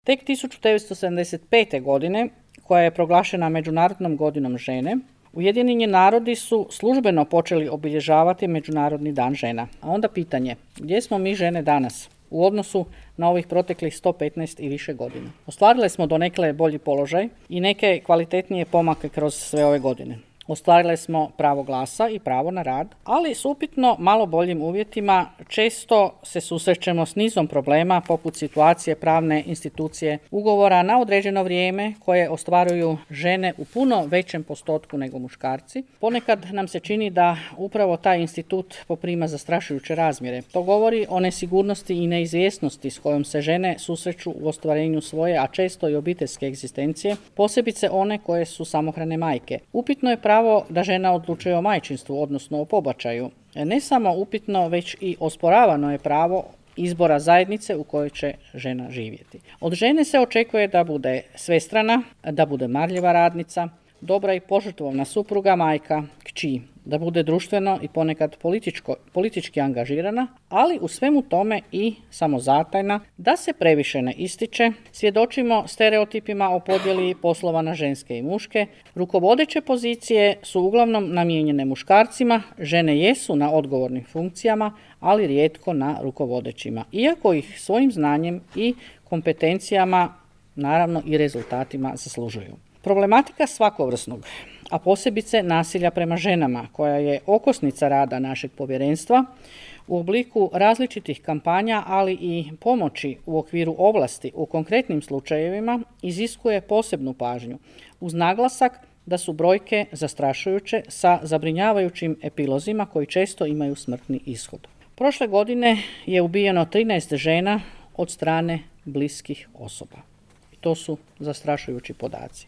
Tek 1975. godine, koja je proglašena Međunarodnom godinom žene, Ujedinjeni narodi su službeno počeli obilježavati Međunarodni dan žena. A onda pitanje, gdje smo mi žene danas u odnosu na ovih proteklih 115 i više godina? Ostvarile smo donekle bolji položaj i neke kvalitetnije pomake kroz sve ove godine. Ostvarile smo pravo glasa i pravo na rad, ali s upitno malo boljim uvjetima često se susrećemo s nizom problema poput situacije pravne institucije ugovora na određeno vrijeme koje ostvaruju žene u puno većem postotku nego muškarci. Ponekad nam se čini da upravo taj institut poprima zastrašujuće razmjere. To govori o nesigurnosti i neizvjesnosti s kojom se žene susreću u ostvarenju svoje, a često i obiteljske egzistencije, posebice one koje su samohrane majke. Upitno je pravo da žena odlučuje o majčinstvu, odnosno o pobačaju. Ne samo upitno, već i osporavano je pravo izbora zajednice u kojoj će žena živjeti. Od žene se očekuje da bude svestrana, da bude marljiva radnica, dobra i požrtvovna supruga, majka, kći, da bude društveno i ponekad politički angažirana, ali u svemu tome i samozatajna, da se previše ne ističe. Svjedočimo stereotipima o podjeli poslova na ženske i muške. Rukovodeće pozicije su uglavnom namijenjene muškarcima, žene jesu na odgovornim funkcijama, ali rijetko na rukovodećima, iako ih svojim znanjem i kompetencijama, naravno i rezultatima zaslužuju. Problematika svakovrsnog, a posebice nasilja prema ženama, koja je okosnica rada našeg povjerenstva, u obliku različitih kampanja, ali i pomoći u okviru ovlasti u konkretnim slučajevima, iziskuje posebnu pažnju, uz naglasak da su brojke zastrašujuće sa zabrinjavajućim epilozima koji često imaju smrtni ishod. Prošle godine je ubijeno 13 žena od strane bliskih osoba. To su zastrašujući podaci.